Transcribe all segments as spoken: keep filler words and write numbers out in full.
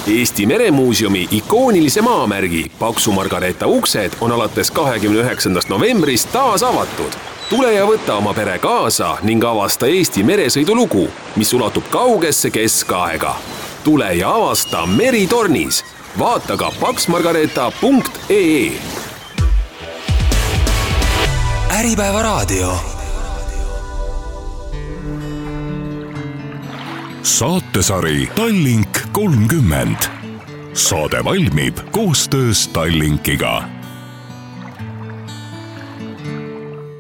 Eesti Meremuuseumi ikoonilise maamärgi Paksu Margareeta uksed on alates kahekümne üheksandast novembrist taas avatud. Tule ja võta oma pere kaasa ning avasta Eesti meresõidulugu, mis ulatub kaugesse keskaega. Tule ja avasta Meritornis. Vaata ka paksmargareeta punkt ee. Äripäeva raadio. Saatesari Tallink kolmkümmend. Saade valmib koostöös Tallinkiga.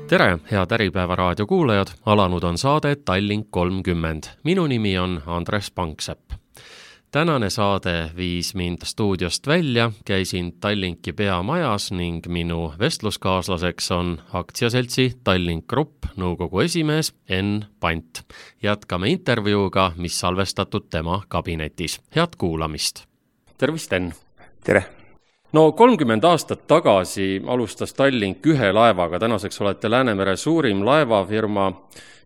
Tere, head Äripäeva raadio kuulajad. Alanud on saade Tallink kolmkümmend. Minu nimi on Andres Panksepp. Tänane saade viis mind stuudiost välja, käisin Tallinki peamajas ning minu vestluskaaslaseks on aktsiaseltsi Tallink Grupp nõukogu esimees Enn Pant. Jätkame intervjuuga, mis salvestatud tema kabinetis. Head kuulamist. Tervist, Enn. Tere. No kolmkümmend aastat tagasi alustas Tallink ühe laevaga. Tänaseks olete Läänemere suurim laevafirma.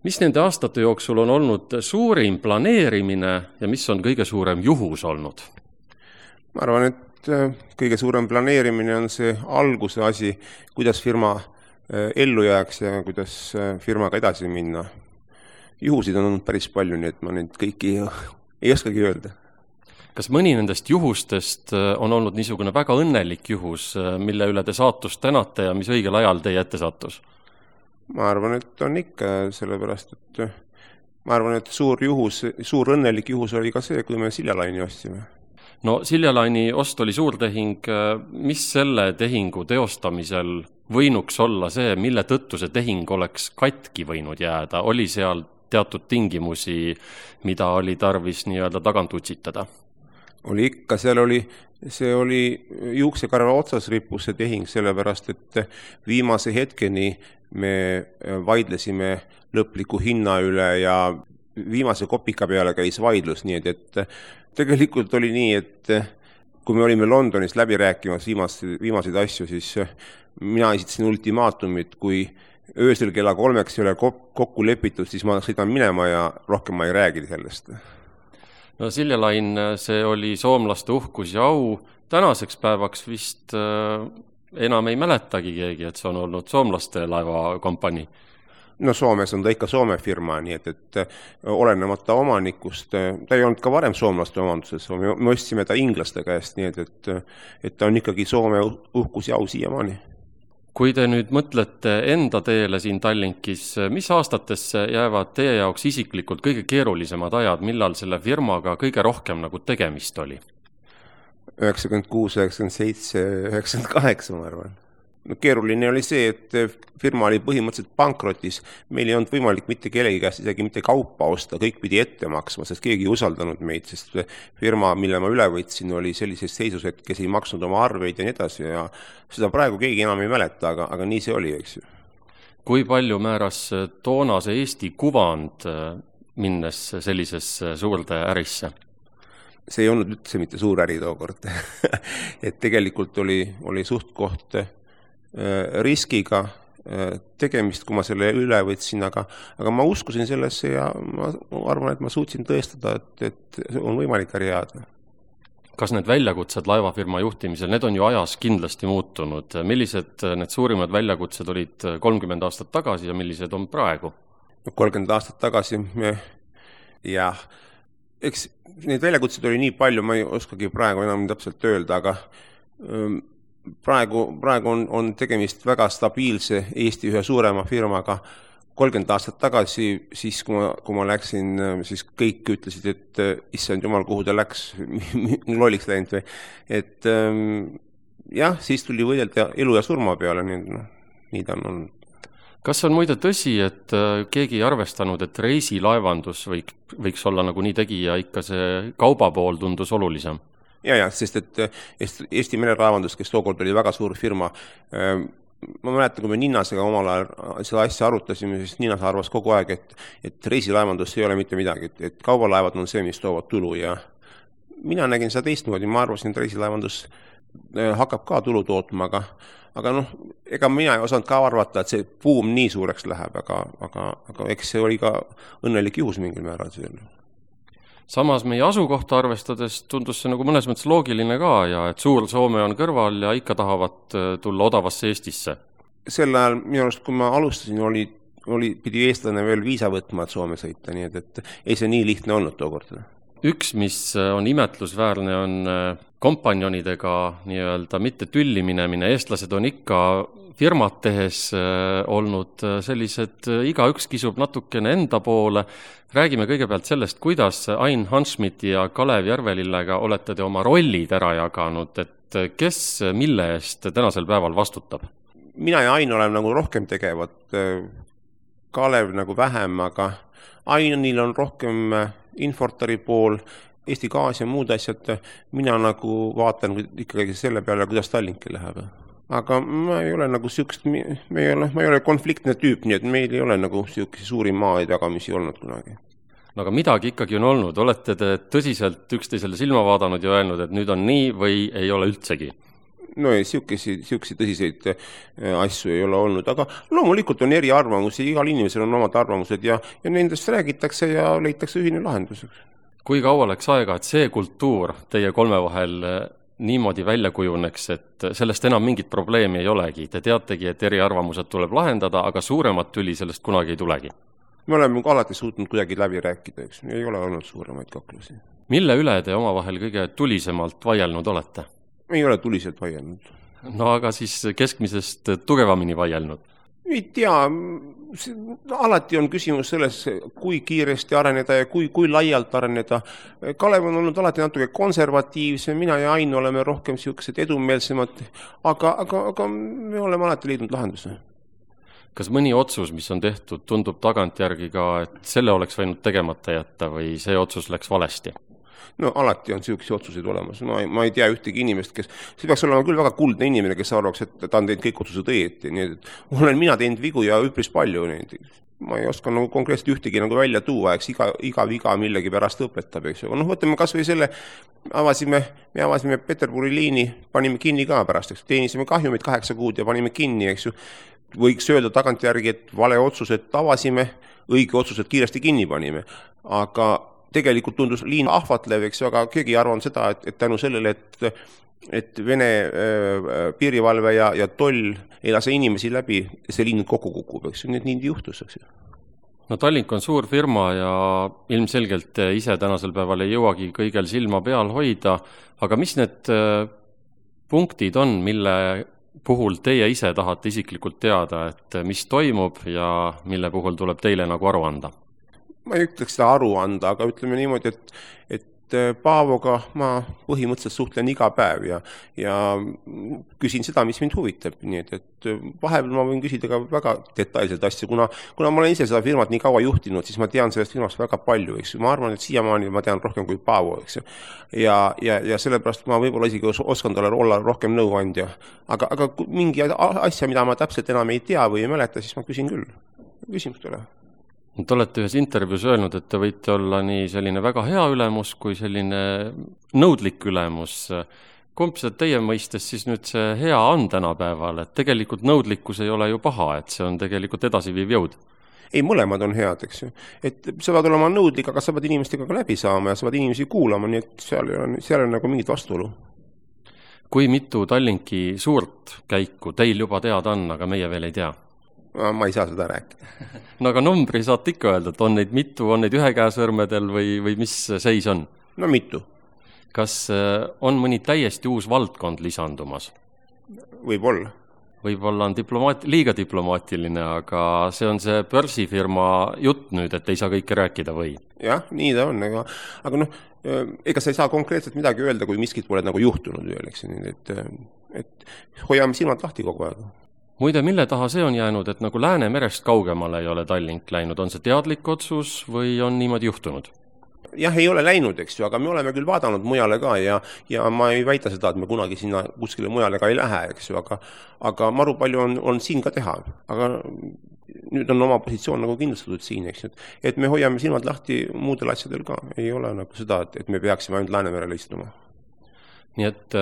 Mis nende aastate jooksul on olnud suurim planeerimine ja mis on kõige suurem juhus olnud? Ma arvan, et kõige suurem planeerimine on see alguse asi, kuidas firma ellu jääks ja kuidas firmaga edasi minna. Juhusid on olnud päris palju, nii et ma neid kõiki ei oskagi öelda. Kas mõni nendest juhustest on olnud niisugune väga õnnelik juhus, mille üle te saatust tänate ja mis õigel ajal teie ette sattus? Ma arvan, et on ikka, sellepärast, et ma arvan, et suur juhus, suur õnnelik juhus oli ka see, kui me Siljalaini ostsime. No Siljalaini ost oli suur tehing. Mis selle tehingu teostamisel võinuks olla see, mille tõttu see tehing oleks katki võinud jääda? Oli seal teatud tingimusi, mida oli tarvis nii-öelda tagant utsitada? Oli ikka, seal oli, see oli juuksekarva otsas rippus see tehing, sellepärast, et viimase hetkeni me vaidlesime lõpliku hinna üle ja viimase kopika peale käis vaidlus, nii et, et tegelikult oli nii, et kui me olime Londonis läbi rääkimas viimaseid, viimaseid asju, siis mina esitasin ultimaatumit, kui öösel kella kolmeks ei ole kokku lepitud, siis ma sõidan minema ja rohkem ma ei räägi sellest. No Siljalain, see oli soomlaste uhkus ja au. Tänaseks päevaks vist enam ei mäletagi keegi, et see on olnud soomlaste laevakompanii. No Soomes on ta ikka Soome firma, nii et, et olenemata omanikust, ta ei olnud ka varem soomlaste omanduses, me ostsime ta inglaste käest, nii et, et, et ta on ikkagi Soome uhkus ja au siiamaani. Kui te nüüd mõtlete enda teele siin Tallinkis, mis aastatesse jäävad teie jaoks isiklikult kõige keerulisemad ajad, millal selle firmaga kõige rohkem nagu tegemist oli? üheksakümmend kuus, üheksakümmend seitse, üheksakümmend kaheksa, ma arvan. No, keeruline oli see, et firma oli põhimõtteliselt pankrotis. Meil ei olnud võimalik mitte kellegi käest isegi mitte kaupa osta, kõik pidi ette maksma, sest keegi ei usaldanud meid, sest firma, mille ma üle võtsin, oli sellises seisus, et kes ei maksnud oma arveid ja nii edasi ja seda praegu keegi enam ei mäleta, aga, aga nii see oli, eks ju. Kui palju määras toonase Eesti kuvand minnes sellisesse suurde ärisse? See ei olnud üldse mitte suur äri tookord. Et tegelikult oli, oli suht koht riskiga tegemist, kui ma selle üle võtsin, aga, aga ma uskusin sellesse ja ma arvan, et ma suutsin tõestada, et, et on võimalik äri jääda. Kas need väljakutsed laevafirma juhtimisel, need on ju ajas kindlasti muutunud. Millised need suurimad väljakutsed olid kolmkümmend aastat tagasi ja millised on praegu? kolmkümmend aastat tagasi me, jah, eks neid väljakutsed oli nii palju, ma ei oskagi praegu enam täpselt öelda, aga praegu, praegu on, on tegemist väga stabiilse Eesti ühe suurema firmaga. kolmkümmend aastat tagasi, siis kui ma, kui ma läksin, siis kõik ütlesid, et issand jumal, kuhu ta läks, lolliks läinud või. Et jah, siis tuli võidelda elu ja surma peale, nii, no, nii ta on olnud. Kas on muide tõsi, et keegi ei arvestanud, et reisilaevandus võiks, võiks olla nagu nii tegija, ikka see kauba pool tundus olulisem? Ja, ja, sest et Eesti merelaevandus, kes tookord oli väga suur firma, ma mäletan, kui me Ninnasega omal ajal seda asja arutasime, siis Ninnas arvas kogu aeg, et, et reisilaevandus ei ole mitte midagi, et, et kaubalaevad on see, mis toovad tulu ja mina nägin seda teistmoodi, ma arvasin, et reisilaevandus hakkab ka tulu tootma, aga Aga noh, ega mina ei osanud ka arvata, et see buum nii suureks läheb, aga, aga, aga eks see oli ka õnnelik juhus mingil määral. Samas meie asukohta arvestades tundus see nagu mõnes mõttes loogiline ka ja et suur Soome on kõrval ja ikka tahavad tulla odavasse Eestisse. Sel ajal minu arust, kui ma alustasin, oli, oli, pidi eestlane veel viisa võtma, et Soome sõita, nii et, et ei see nii lihtne olnud tookord. Üks, mis on imetlusväärne, on kompanjonidega nii-öelda mitte tülli minemine. Eestlased on ikka firmat tehes olnud sellised, igaüks kisub natukene enda poole. Räägime kõigepealt sellest, kuidas Ain Hanschmidti ja Kalev Järvelillega olete te oma rollid ära jaganud, et kes mille eest tänasel päeval vastutab? Mina ja Ain oleme nagu rohkem tegevad, Kalev nagu vähem, aga Ainil on rohkem Infortari pool, Eesti Gaas ja muud asjad, mina nagu vaatan ikkagi selle peale, kuidas Tallinki läheb. Aga ma ei ole nagu sükst, me ei ole, ma ei ole konfliktne tüüp, nii et meil ei ole nagu sükse suuri maaid jagamisi olnud kunagi. No aga midagi ikkagi on olnud, olete te tõsiselt üksteisele silma vaadanud ja öelnud, et nüüd on nii või ei ole üldsegi? No ei, sükesi, sükesi tõsiseid asju ei ole olnud, aga loomulikult on eri arvamusi, igal inimesel on omad arvamused ja, ja nendest räägitakse ja leitakse ühine lahenduseks. Kui kaua läks aega, et see kultuur teie kolme vahel niimoodi välja kujuneks, et sellest enam mingit probleemi ei olegi? Te teategi, et eri arvamused tuleb lahendada, aga suuremat tüli sellest kunagi ei tulegi. Me oleme alati suutnud kuidagi läbi rääkida, eks ei ole olnud suuremaid kaklusi. Mille üle te omavahel kõige tulisemalt vaielnud olete? Ei ole tuliselt vaielnud. No aga siis keskmisest tugevamini vaielnud? Ei tea, alati on küsimus selles, kui kiiresti areneda ja kui, kui laialt areneda. Kalev on olnud alati natuke konservatiivse, mina ja Ain oleme rohkem siuksed edumeelsemad, aga, aga, aga me oleme alati leidnud lahenduse. Kas mõni otsus, mis on tehtud, tundub tagantjärgi ka, et selle oleks võinud tegemata jätta või see otsus läks valesti? No alati on siukesi otsuseid olemas. No, ma ei tea ühtegi inimest, kes, see peaks olema küll väga kuldne inimene, kes arvaks, et ta on teinud kõik otsused õieti. Nii et olen mina teinud vigu ja üpris palju. Ma ei oska nagu konkreetselt ühtegi nagu välja tuua, eks iga, iga viga millegi pärast õpetab. Eks. No, võtame kas või selle, avasime, me avasime Peterburi liini, panime kinni ka pärast. Eks. Teenisime kahjumid kaheksa kuud ja panime kinni. Eks. Võiks öelda tagantjärgi, et vale otsused avasime, õige otsused kiiresti kinni panime. Aga tegelikult tundus liin ahvatlev, eks, aga keegi ei arvanud seda, et, et tänu sellele, et, et Vene äh, piirivalve ja, ja toll ei lase inimesi läbi, see liin kokku kukub, eks, nii, nii juhtus, eks. No Tallink on suur firma ja ilmselgelt ise tänasel päeval ei jõuagi kõigel silma peal hoida, aga mis need punktid on, mille puhul teie ise tahate isiklikult teada, et mis toimub ja mille puhul tuleb teile nagu aru anda? Ma ei ütleks seda aru anda, aga ütleme niimoodi, et, et Paavoga ma põhimõtteliselt suhtlen iga päev ja, ja küsin seda, mis mind huvitab. Nii et, et vahepeal ma võin küsida ka väga detailselt asju, kuna, kuna ma olen ise seda firmat nii kaua juhtinud, siis ma tean sellest firmast väga palju. Eks. Ma arvan, et siiamaani ma tean rohkem kui Paavo. Eks. Ja, ja, ja sellepärast ma võib-olla isegi oskan talle olla rohkem nõuandja. Aga, aga mingi asja, mida ma täpselt enam ei tea või ei mäleta, siis ma küsin küll. Küsimustele. Te olete ühes intervjuus öelnud, et te võite olla nii selline väga hea ülemus kui selline nõudlik ülemus. Kumb see teie mõistes siis nüüd see hea on tänapäeval, et tegelikult nõudlikkus ei ole ju paha, et see on tegelikult edasiviiv jõud? Ei, mõlemad on head, eks ju. Et sa pead olema nõudlik, aga sa pead inimestega ka läbi saama ja sa pead inimesi kuulama, nii et seal on, seal on nagu mingit vastuolu. Kui mitu Tallinki suurt käiku teil juba teada on, aga meie veel ei tea? Ma ei saa seda rääkida. No aga numbri saate ikka öelda, et on neid mitu, on neid ühe käesõrmedel või, või mis seis on? No mitu. Kas on mõni täiesti uus valdkond lisandumas? Võib-olla. Võib-olla on diplomaat, liiga diplomaatiline, aga see on see börsifirma jutt nüüd, et ei saa kõike rääkida või? Jah, nii ta on, aga, aga noh, ega sa ei saa konkreetselt midagi öelda, kui miskit pole nagu juhtunud veel, eks, et, et hoiame silmad lahti kogu aeg. Muide, mille taha see on jäänud, et nagu Läänemerest kaugemale ei ole Tallink läinud? On see teadlik otsus või on niimoodi juhtunud? Jah, ei ole läinud, eks ju, aga me oleme küll vaadanud mujale ka ja, ja ma ei väita seda, et me kunagi sinna kuskile mujale ka ei lähe, eks ju, aga, aga maru palju on, on siin ka teha. Aga nüüd on oma positsioon nagu kindlustatud siin, eks ju, et me hoiame silmad lahti muudel asjadel ka. Ei ole nagu seda, et, et me peaksime ainult Läänemerele istuma. Nii et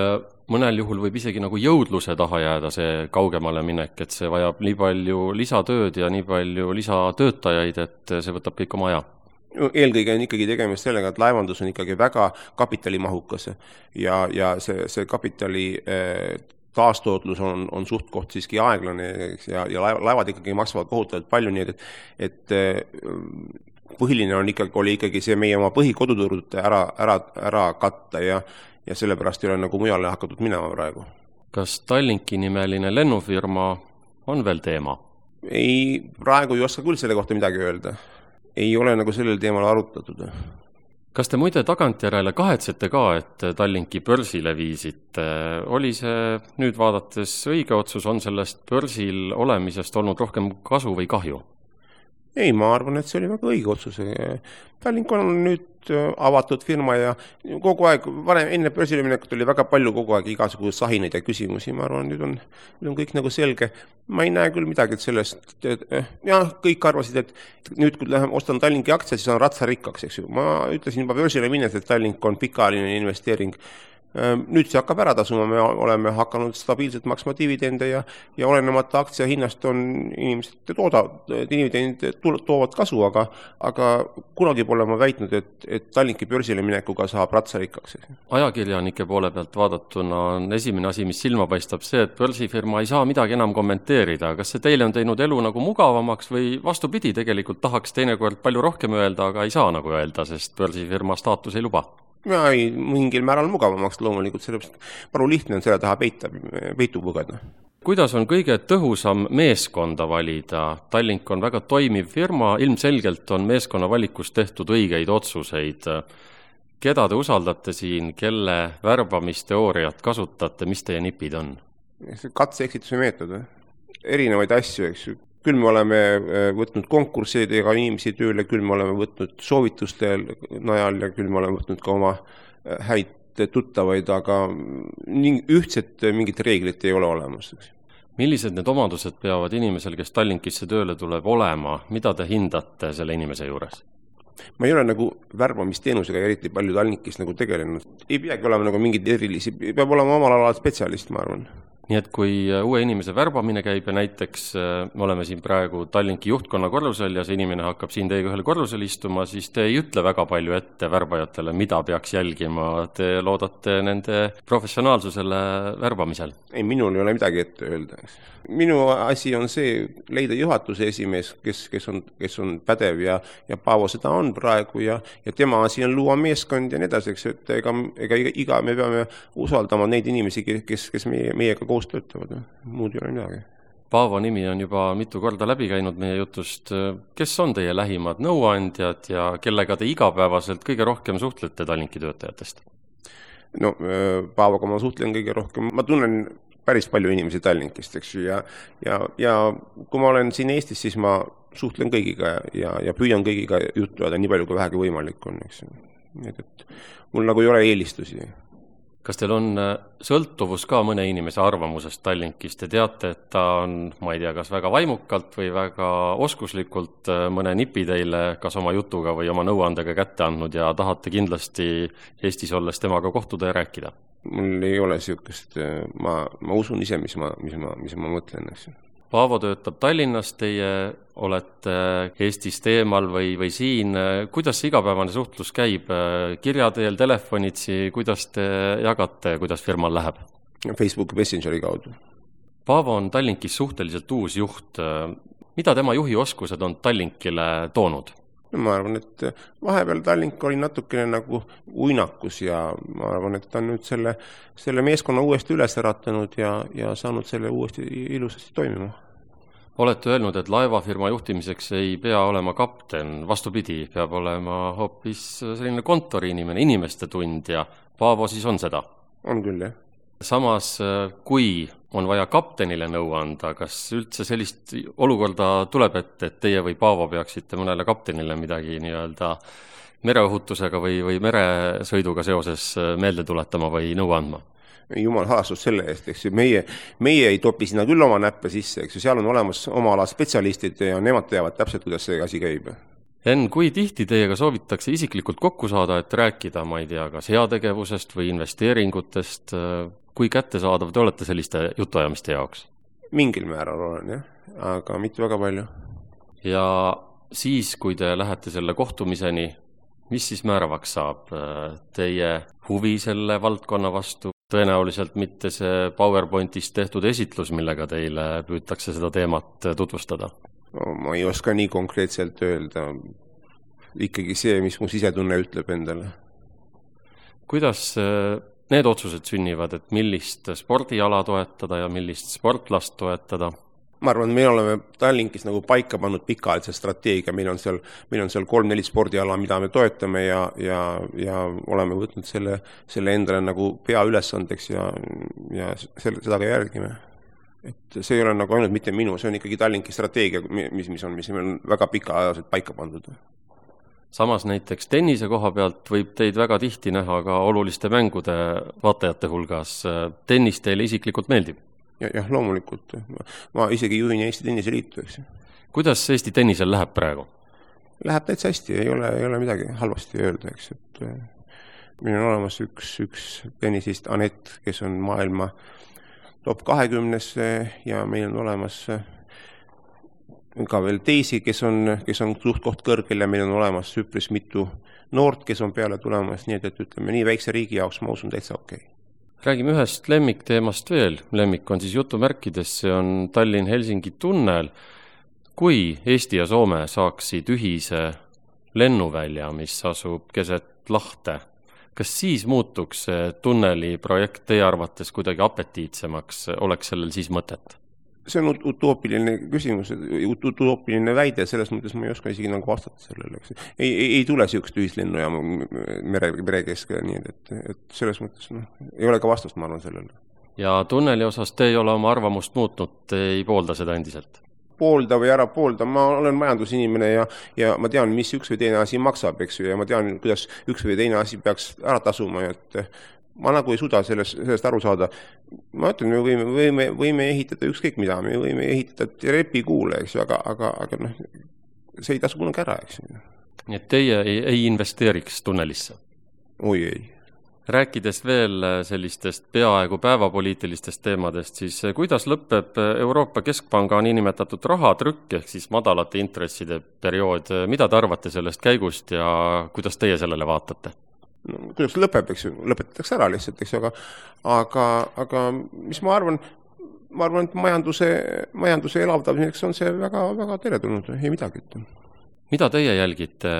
mõnel juhul võib isegi nagu jõudluse taha jääda see kaugemale minek, et see vajab nii palju lisatööd ja nii palju lisatöötajaid, et see võtab kõik oma aja. eelkõige on ikkagi tegemist sellega, et laevandus on ikkagi väga kapitalimahukas ja, ja see, see kapitali äh, taastootlus on, on suht koht siiski aeglane ja, ja laevad ikkagi maksavad kohutavalt palju, nii et, et põhiline on ikkagi, oli ikkagi see meie oma põhikoduturud ära, ära, ära katta ja, ja sellepärast ei ole nagu mujale hakatud minema praegu. Kas Tallinki nimeline lennufirma on veel teema? Ei, praegu ei oska küll selle kohta midagi öelda. Ei ole nagu sellel teemal arutatud. Kas te muide tagantjärele kahetsete ka, et Tallinki börsile viisite? Oli see nüüd vaadates õige otsus, on sellest börsil olemisest olnud rohkem kasu või kahju? Ei, ma arvan, et see oli väga õige otsus. Tallink on nüüd avatud firma ja kogu aeg, varem enne börsile minekut oli väga palju kogu aeg igasugused sahineid ja küsimusi. Ma arvan, nüüd on, nüüd on kõik nagu selge. Ma ei näe küll midagi sellest. Ja kõik arvasid, et nüüd kui lähen ostan Tallinki aktsiad, siis on ratsa rikkaks. Eks ju. Ma ütlesin juba börsile minnes, et Tallink on pikaajaline investeering. Nüüd see hakkab ära tasuma, me oleme hakanud stabiilselt maksma dividende ja, ja olenemata aktsia hinnast on inimesed tooda, dividendid toovad kasu, aga, aga kunagi pole ma väitnud, et, et Tallinki börsile minekuga saab ratsa rikkaks. Ajakirjanike poole pealt vaadatuna on esimene asi, mis silma paistab see, et börsifirma ei saa midagi enam kommenteerida. Kas see teile on teinud elu nagu mugavamaks või vastupidi, tegelikult tahaks teinekord palju rohkem öelda, aga ei saa nagu öelda, sest börsifirma staatus ei luba? Ja ei, mingil määral mugavamaks loomulikult, sellepärast paru lihtne on selle taha peita, peitu pugeda. Kuidas on kõige tõhusam meeskonda valida? Tallink on väga toimiv firma, ilmselgelt on meeskonna valikus tehtud õigeid otsuseid. Keda te usaldate siin, kelle värbamisteooriat kasutate, mis teie nipid on? Katse-eksituse meetod, erinevaid asju, eks ju. Küll me oleme võtnud konkurssidega inimesi tööle, küll me oleme võtnud soovituste najal ja küll me oleme võtnud ka oma häid tuttavaid, aga ühtset mingit reeglit ei ole olemas. Millised need omadused peavad inimesel, kes Tallinkisse tööle tuleb olema? Mida te hindate selle inimese juures? Ma ei ole nagu värbamisteenusega eriti palju Tallinkis nagu tegelenud. Ei peagi olema nagu mingid erilisi, peab olema omal alal spetsialist, ma arvan. Nii et kui uue inimese värbamine käib ja näiteks me oleme siin praegu Tallinki juhtkonna korrusel ja see inimene hakkab siin teiega ühel korrusel istuma, siis te ei ütle väga palju ette värbajatele, mida peaks jälgima. Te loodate nende professionaalsusele värbamisel. Ei, minul ei ole midagi ette öelda. Minu asi on see leida juhatuse esimees, kes, kes, on, kes on pädev ja, ja Paavo seda on praegu ja, ja tema asi on luua meeskond ja nii edasi, et ega, ega iga, me peame usaldama neid inimesi, kes, kes meie, meiega koos töötavad. Muud ei ole midagi. Paavo nimi on juba mitu korda läbi käinud meie jutust. Kes on teie lähimad nõuandjad ja kellega te igapäevaselt kõige rohkem suhtlete Tallinki töötajatest? No, Paavoga ma suhtlen kõige rohkem. Ma tunnen päris palju inimesi Tallinkist, eks ju, ja, ja, ja kui ma olen siin Eestis, siis ma suhtlen kõigiga ja, ja püüan kõigiga juttu ajada nii palju, kui vähegi võimalik on, eks ju. Et, et mul nagu ei ole eelistusi. Kas teil on sõltuvus ka mõne inimese arvamusest Tallinkist? Te teate, et ta on, ma ei tea, kas väga vaimukalt või väga oskuslikult mõne nipi teile kas oma jutuga või oma nõuandega kätte andnud ja tahate kindlasti Eestis olles temaga kohtuda ja rääkida? Mul ei ole siukest, ma, ma usun ise, mis ma, mis ma, mis ma mõtlen. Paavo töötab Tallinnas, teie olete Eestist eemal või, või siin. Kuidas see igapäevane suhtlus käib? Kirjateel, telefonitsi, kuidas te jagate, kuidas firmal läheb? Facebooki Messengeri kaudu. Paavo on Tallinkis suhteliselt uus juht. Mida tema juhi oskused on Tallinkile toonud? No, ma arvan, et vahepeal Tallink oli natukene nagu uinakus ja ma arvan, et ta on nüüd selle, selle meeskonna uuesti üles äratanud ja, ja saanud selle uuesti ilusasti toimima. Olete öelnud, et laevafirma juhtimiseks ei pea olema kapten, vastupidi, peab olema hoopis selline kontoriinimene, inimeste tundja. Paavo siis on seda? On küll, jah. Samas, kui on vaja kaptenile nõu anda, kas üldse sellist olukorda tuleb, et, et teie või Paavo peaksite mõnele kaptenile midagi nii-öelda mereohutusega või, või meresõiduga seoses meelde tuletama või nõu andma? Jumal halastus selle eest, eks ju. Meie, meie ei topi sinna küll oma näppe sisse, eks ju. Seal on olemas oma ala spetsialistid ja nemad teavad täpselt, kuidas see asi käib. Enn, kui tihti teiega soovitakse isiklikult kokku saada, et rääkida, ma ei tea, kas heategevusest või investeeringutest, kui kättesaadav te olete selliste jutuajamiste jaoks? Mingil määral olen, jah, aga mitte väga palju. Ja Siis, kui te lähete selle kohtumiseni, mis siis määravaks saab? Teie huvi selle valdkonna vastu? Tõenäoliselt mitte see PowerPointis tehtud esitlus, millega teile püütakse seda teemat tutvustada? No, ma ei oska nii konkreetselt öelda. Ikkagi see, mis mu sisetunne ütleb endale. Kuidas need otsused sünnivad, et millist spordiala toetada ja millist sportlast toetada? Ma arvan, me oleme Tallinkis nagu paika pannud pikaajalise strateegia, meil on seal, meil on seal kolm-neli spordiala, mida me toetame ja, ja, ja oleme võtnud selle, selle endale nagu peaülesandeks ja, ja selle, seda ka järgime. Et see ei ole nagu ainult mitte minu, see on ikkagi Tallinki strateegia, mis, mis on, mis on väga pikaajaliselt paika pandud. Samas näiteks tennise koha pealt võib teid väga tihti näha ka oluliste mängude vaatajate hulgas. Tennis teile isiklikult meeldib? Ja, jah, loomulikult. Ma isegi juhin Eesti tenniseliitu, eks. Kuidas Eesti tennisel läheb praegu? Läheb täitsa hästi, ei ole, ei ole midagi halvasti öelda, eks. Et meil on olemas üks, üks tennisist Anett, kes on maailma top kahekümnes ja meil on olemas ka veel teisi, kes on, kes on suht koht kõrgel ja meil on olemas üpris mitu noort, kes on peale tulemas, nii et, et ütleme, nii väikse riigi jaoks ma usun täitsa okei. Okay. Räägime ühest lemmikteemast veel. Lemmik on siis jutumärkides, see on Tallinn-Helsingi tunnel. Kui Eesti ja Soome saaksid ühise lennuvälja, mis asub keset lahte, kas siis muutuks see tunneli projekt teie arvates kuidagi apetiitsemaks, oleks sellel siis mõtet? See on utoopiline küsimus, utoopiline väide, selles mõttes ma ei oska isegi nagu vastata sellele. Ei, ei, ei tule siukest ühislennu ja mere, mere keskele, nii et, et selles mõttes no, ei ole ka vastust, ma arvan sellele. Ja tunneli osas te ei ole oma arvamust muutnud, te ei poolda seda endiselt? Poolda või ära poolda, ma olen majandusinimene ja, ja ma tean, mis üks või teine asi maksab, eks ju, ja ma tean, kuidas üks või teine asi peaks ära tasuma, et ma nagu ei suuda sellest, sellest aru saada. Ma ütlen, me võime, võime, võime ehitada ükskõik mida, me võime ehitada repikuule, eks ju, aga, aga, aga noh, see ei tasu kunagi ära, eks ju. Nii et teie ei, ei investeeriks tunnelisse? Oi ei. Rääkides veel sellistest peaaegu päevapoliitilistest teemadest, siis kuidas lõpeb Euroopa Keskpanga niinimetatud rahatrükk ehk siis madalate intresside periood? Mida te arvate sellest käigust ja kuidas teie sellele vaatate? No, kuidas lõpeb, eks ju, lõpetatakse ära lihtsalt, eks ju, aga, aga, aga mis ma arvan, ma arvan, et majanduse, majanduse elavdamiseks on see väga, väga teretulnud, ei midagi. Mida teie jälgite,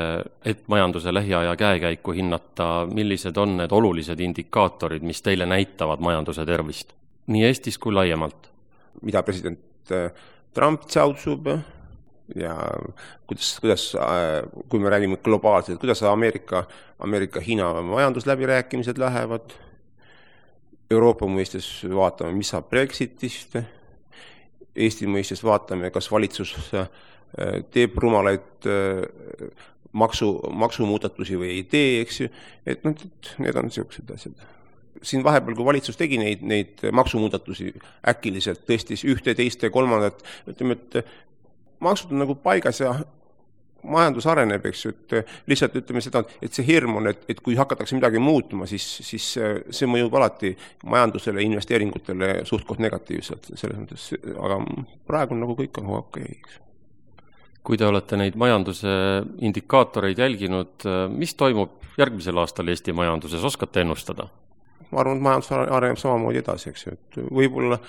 et majanduse lähiaja käekäiku hinnata, millised on need olulised indikaatorid, mis teile näitavad majanduse tervist, nii Eestis kui laiemalt? Mida president Trump tšautsub ja kuidas, kuidas, kui me räägime globaalselt, kuidas Ameerika, Ameerika Hiina majandusläbirääkimised lähevad, Euroopa mõistes vaatame, mis saab Brexitist, Eesti mõistes vaatame, kas valitsus teeb rumalaid maksu, maksumuudatusi või ei tee, eks ju, et noh, need on sellised asjad. Siin vahepeal, kui valitsus tegi neid, neid maksumuudatusi äkiliselt, tõstis ühte, teiste, kolmandat, ütleme, et maksud on nagu paigas ja majandus areneb, eks ju, et lihtsalt ütleme seda, et see hirm on, et, et kui hakatakse midagi muutuma, siis, siis see mõjub alati majandusele, investeeringutele suht-koht negatiivselt selles mõttes, aga praegu on nagu kõik on okei, eks. Kui te olete neid majanduse indikaatoreid jälginud, mis toimub järgmisel aastal Eesti majanduses, oskate ennustada? Ma arvan, et majandus areneb samamoodi edasi, eks ju, et võib-olla,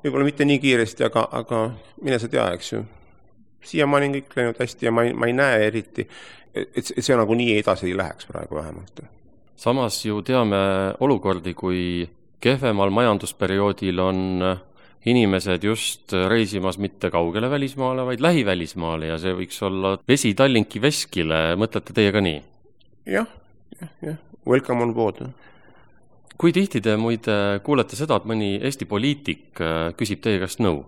võib-olla mitte nii kiiresti, aga, aga mine sa tea, eks ju. Siiamaani on kõik läinud hästi ja ma ei, ma ei näe eriti, et see nagu nii edasi ei läheks praegu vähemalt. Samas ju teame olukordi, kui kehvemal majandusperioodil on inimesed just reisimas mitte kaugele välismaale, vaid lähivälismaale ja see võiks olla vesi Tallinki veskile. Mõtlete teie ka nii? Jah, jah, jah. Welcome on board. Kui tihti te muide kuulete seda, et mõni Eesti poliitik küsib teie käest nõu?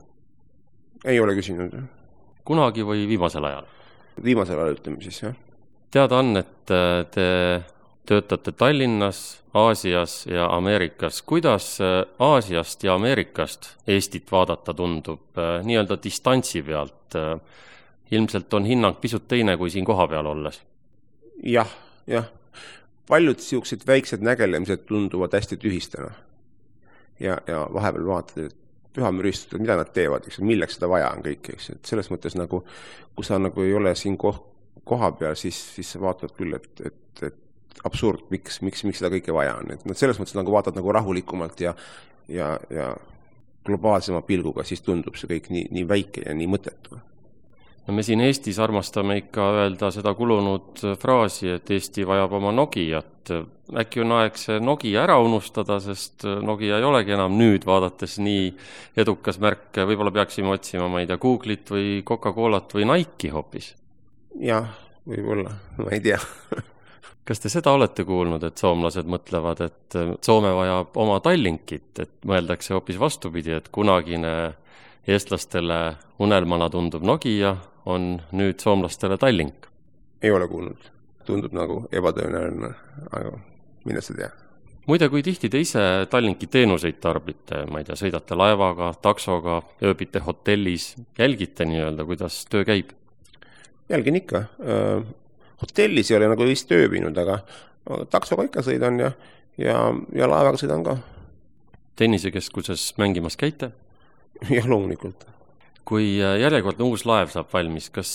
Ei ole küsinud. Kunagi või viimasel ajal? Viimasel ajal ütleme siis, jah. Teada on, et te töötate Tallinnas, Aasias ja Ameerikas. Kuidas Aasiast ja Ameerikast Eestit vaadata tundub nii-öelda distantsi pealt? Ilmselt on hinnang pisut teine kui siin koha peal olles. Jah, jah. Paljud siuksed väiksed nägelemised tunduvad hästi tühistena. Ja, ja vahepeal vaatad, et pühamüristused, mida nad teevad, eks, milleks seda vaja on kõik, eks, et selles mõttes nagu, kui sa nagu ei ole siin koh, koha peal, siis, siis sa vaatad küll, et, et, et absurd, miks, miks, miks seda kõike vaja on, et nad selles mõttes nagu vaatad nagu rahulikumalt ja, ja, ja globaalsema pilguga, siis tundub see kõik nii, nii väike ja nii mõttetu. No me siin Eestis armastame ikka öelda seda kulunud fraasi, et Eesti vajab oma Nokiat. Äkki on aeg see Nokia ära unustada, sest Nokia ei olegi enam nüüd vaadates nii edukas märk. Võib-olla peaksime otsima, ma ei tea, Google'it või Coca-Colat või Nike'i hoopis. Jah, võib-olla, ma ei tea. Kas te seda olete kuulnud, et soomlased mõtlevad, et Soome vajab oma Tallinkit, et mõeldakse hoopis vastupidi, et kunagine eestlastele unelmana tundub Nokia, on nüüd soomlastele Tallink? Ei ole kuulnud. Tundub nagu ebatõenäoline, aga mine sa tea. Muide, kui tihti te ise Tallinki teenuseid tarbite, ma ei tea, sõidate laevaga, taksoga, ööbite hotellis, jälgite nii-öelda, kuidas töö käib? Jälgin ikka. Hotellis ei ole nagu vist ööbinud, aga taksoga ikka sõidan ja, ja, ja laevaga sõidan ka. Tennisekeskuses mängimas käite? Jah, loomulikult. Kui järjekordne uus laev saab valmis, kas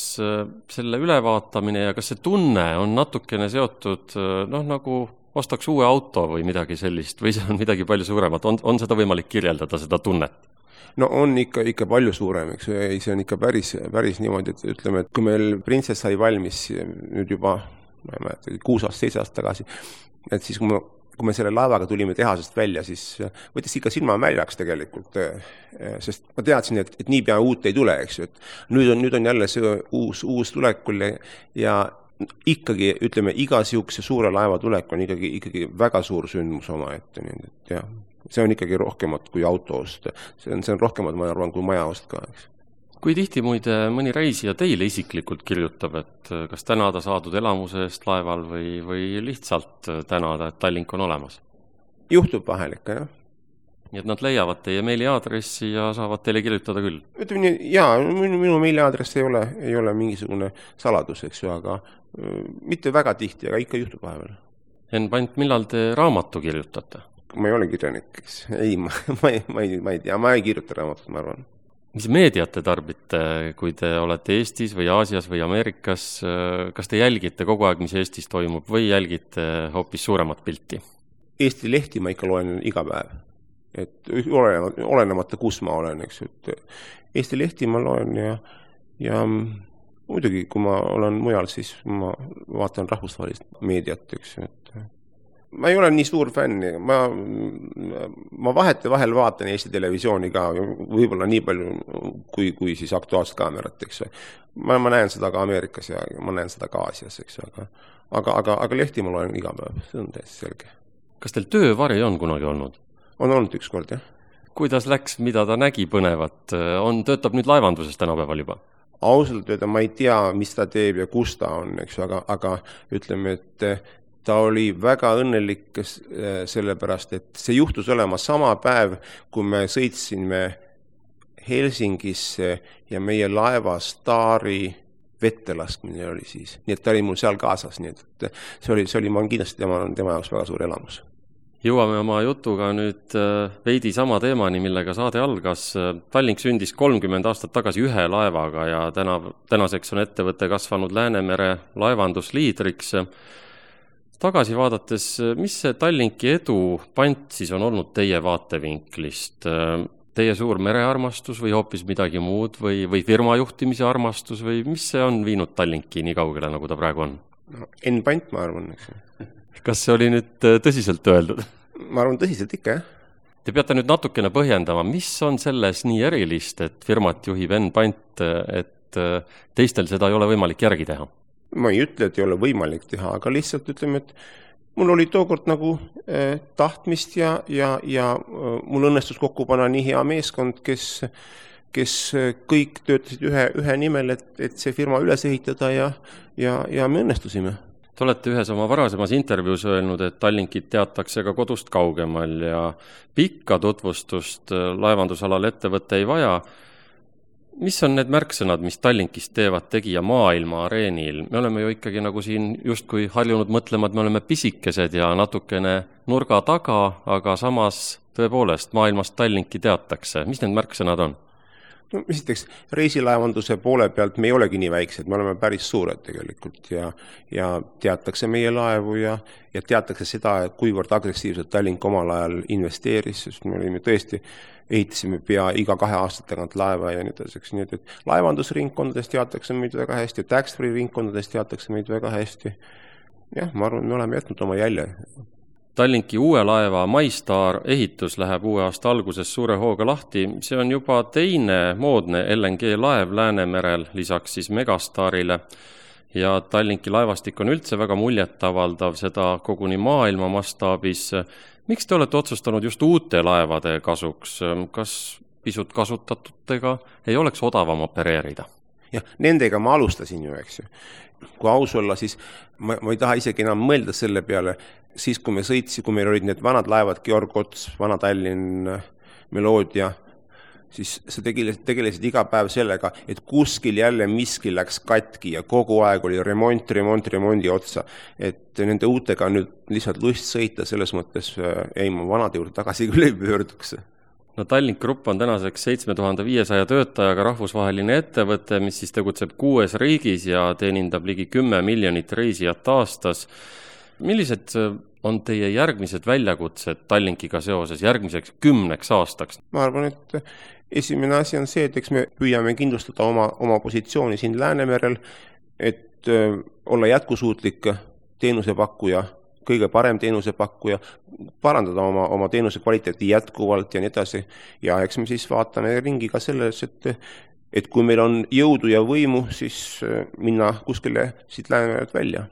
selle ülevaatamine ja kas see tunne on natukene seotud, noh, nagu ostaks uue auto või midagi sellist, või see on midagi palju suuremat? On, on seda võimalik kirjeldada, seda tunnet? No on ikka, ikka palju suurem, eks. See on ikka päris, päris niimoodi, et ütleme, et kui meil Princess sai valmis nüüd juba, ma ei mäleta, kuus aastat, seitse aastat tagasi, et siis kui me kui me selle laevaga tulime tehasest välja, siis võttis ikka silma väljaks tegelikult, sest ma teadsin, et, et nii pea uut ei tule, eks ju, et nüüd on, nüüd on jälle see uus, uus tulekul ja ikkagi, ütleme, iga siukse suure laeva tulek on ikkagi, ikkagi väga suur sündmus oma ette, nii et jah, see on ikkagi rohkemat kui auto ost, see on, see on rohkemat, ma arvan, kui maja ost ka, eks. Kui tihti muide mõni reisija teile isiklikult kirjutab, et kas tänada saadud elamuse eest laeval või, või lihtsalt tänada, et Tallink on olemas? Juhtub vahel ikka, jah. Nii et nad leiavad teie meiliaadressi ja saavad teile kirjutada küll? Ütleme nii, jaa, minu, minu meiliaadress ei ole, ei ole mingisugune saladus, eks ju, aga mitte väga tihti, aga ikka juhtub vahepeal. Enn Pant, millal te raamatu kirjutate? Ma ei ole kirjanik, eks. Ei, ma, ma, ei, ma, ei, ma ei tea, ma ei kirjuta raamatut, ma arvan. Mis meediat te tarbite, kui te olete Eestis või Aasias või Ameerikas? Kas te jälgite kogu aeg, mis Eestis toimub või jälgite hoopis suuremat pilti? Eesti lehti ma ikka loen iga päev. Et olenemata, olenemata kus ma olen, eks. Et Eesti lehti ma loen ja, ja muidugi, kui ma olen mujal, siis ma vaatan rahvusvahelist meediat, eks. Et ma ei ole nii suur fänn, ma, ma vahete vahel vaatan Eesti televisiooni ka, võib-olla nii palju kui, kui siis aktuaalset kaamerat, eks. Ma, ma näen seda ka Ameerikas ja ma näen seda ka Aasias, eks. Aga, aga, aga, aga lehti ma loen iga päev, see on täiesti selge. Kas teil töövari on kunagi olnud? On olnud üks kord, jah. Kuidas läks, mida ta nägi põnevat? On, töötab nüüd laevanduses tänapäeval juba? Ausalt öelda, ma ei tea, mis ta teeb ja kus ta on, eks. Aga, aga ütleme, et ta oli väga õnnelik sellepärast, et see juhtus olema sama päev, kui me sõitsime Helsingisse ja meie laeva Staari vette laskmine oli siis. Nii et ta oli mul seal kaasas, nii et see oli, see oli ma kindlasti tema, tema jaoks väga suur elamus. Jõuame oma jutuga nüüd veidi sama teemani, millega saade algas. Tallink sündis kolmkümmend aastat tagasi ühe laevaga ja täna, tänaseks on ettevõte kasvanud Läänemere laevandusliidriks. Tagasi vaadates, mis see Tallinki edu Pant siis on olnud teie vaatevinklist? Teie suur merearmastus või hoopis midagi muud või, või firmajuhtimise armastus või mis see on viinud Tallinki nii kaugele, nagu ta praegu on? No, Enn Pant, ma arvan. Kas see oli nüüd tõsiselt öeldud? Ma arvan tõsiselt ikka, jah. Te peate nüüd natukene põhjendama, mis on selles nii erilist, et firmat juhib Enn Pant, et teistel seda ei ole võimalik järgi teha? Ma ei ütle, et ei ole võimalik teha, aga lihtsalt ütleme, et mul oli tookord nagu eh, tahtmist ja, ja, ja mul õnnestus kokku panna nii hea meeskond, kes, kes kõik töötasid ühe, ühe nimel, et, et see firma üles ehitada ja, ja, ja me õnnestusime. Te olete ühes oma varasemas intervjuus öelnud, et Tallinkit teatakse ka kodust kaugemal ja pikka tutvustust laevandusalal ettevõtte ei vaja. mis on need märksõnad, mis Tallinkist teevad tegija maailma areenil? Me oleme ju ikkagi nagu siin justkui harjunud mõtlema, et me oleme pisikesed ja natukene nurga taga, aga samas tõepoolest maailmast Tallinki teatakse. Mis need märksõnad on? No, esiteks, reisilaevanduse poole pealt me ei olegi nii väiksed, me oleme päris suured tegelikult ja, ja teatakse meie laevu ja, ja teatakse seda, et kuivõrd agressiivselt Tallink omal ajal investeeris, sest me olime tõesti, ehitasime pea iga kahe aastat tagant laeva ja nii edaseks. Nii et laevandusringkondades teatakse meid väga hästi, tax-free ringkondades teatakse meid väga hästi. Jah, ma arvan, me oleme jätnud oma jälje. Tallinki uue laeva MyStar ehitus läheb uue aasta alguses suure hooga lahti. See on juba teine moodne L N G laev Läänemerel, lisaks siis Megastarile. Ja Tallinki laevastik on üldse väga muljetavaldav, seda koguni maailma mastaabis. Miks te olete otsustanud just uute laevade kasuks? Kas pisut kasutatutega ei oleks odavam opereerida? Ja nendega ma alustasin ju, eks ju. Kui aus olla, siis ma, ma ei taha isegi enam mõelda selle peale, siis kui me sõitsi, kui meil olid need vanad laevad, Georg Ots, Vana Tallinn, Meloodia, siis sa tegelesid, tegelesid iga päev sellega, et kuskil jälle miski läks katki ja kogu aeg oli remont, remont, remondi otsa. Et nende uutega nüüd lihtsalt lust sõita, selles mõttes ei ma vanade juurde tagasi küll ei pöörduks. No Tallink Grupp on tänaseks seitse tuhat viissada töötajaga rahvusvaheline ettevõte, mis siis tegutseb kuues riigis ja teenindab ligi kümme miljonit reisijat aastas. Millised on teie järgmised väljakutsed Tallinkiga seoses järgmiseks kümneks aastaks? Ma arvan, et esimene asi on see, et eks me püüame kindlustada oma, oma positsiooni siin Läänemerel, et olla jätkusuutlik teenusepakkuja, kõige parem teenusepakkuja, parandada oma, oma teenuse kvaliteeti jätkuvalt ja nii edasi. Ja eks me siis vaatame ringi ka selles, et, et kui meil on jõudu ja võimu, siis minna kuskile siit Läänemerelt välja.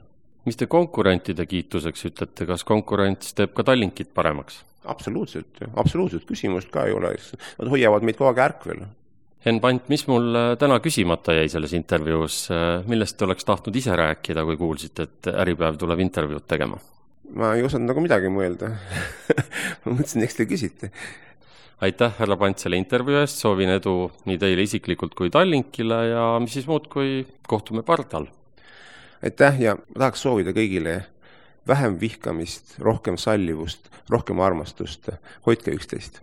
Mis te konkurentide kiituseks ütlete, kas konkurents teeb ka Tallinkit paremaks? Absoluutselt, absoluutselt küsimust ka ei ole. Nad hoiavad meid kogu aeg ärkvel. Henn Pant, mis mul täna küsimata jäi selles intervjuus? Millest te oleks tahtnud ise rääkida, kui kuulsite, et Äripäev tuleb intervjuud tegema? Ma ei osanud nagu midagi mõelda. Ma mõtlesin, eks te küsite. Aitäh, härra Pant, selle intervjuu eest. Soovin edu nii teile isiklikult kui Tallinkile ja mis siis muud, kui kohtume pardal. Aitäh ja ma tahaks soovida kõigile vähem vihkamist, rohkem sallivust, rohkem armastust. Hoidke üksteist.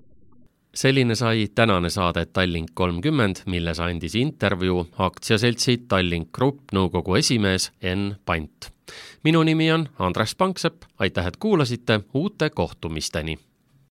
Selline sai tänane saade Tallink kolmkümmend, milles andis intervjuu aktsiaseltsi Tallink Grupp nõukogu esimees Henn Pant. Minu nimi on Andres Panksepp, aitäh, et kuulasite, uute kohtumisteni!